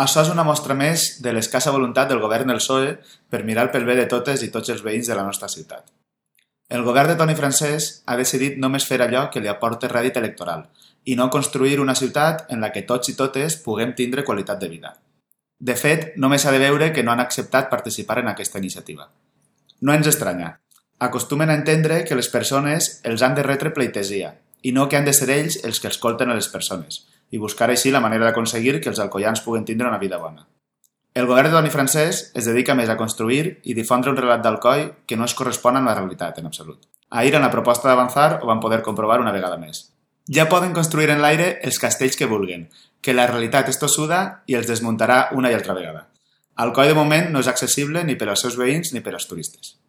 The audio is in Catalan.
Això és una mostra més de l'escassa voluntat del govern del PSOE per mirar pel bé de totes i tots els veïns de la nostra ciutat. El govern de Toni Francès ha decidit només fer allò que li aporta rèdit electoral i no construir una ciutat en la que tots i totes puguem tindre qualitat de vida. De fet, només s'ha de veure que no han acceptat participar en aquesta iniciativa. No ens estranya. Acostumen a entendre que les persones els han de retre pleitesia i no que han de ser ells els que escolten a les persones i buscar així la manera d'aconseguir que els alcoians puguen tindre una vida bona. El govern de Toni Francès es dedica més a construir i difondre un relat d'Alcoi que no es correspon amb la realitat en absolut. Ahir, en la proposta d'Avançar, ho van poder comprovar una vegada més. Ja poden construir en l'aire els castells que vulguen, que la realitat és tossuda i els desmuntarà una i altra vegada. Alcoi de moment no és accessible ni per als seus veïns ni per als turistes.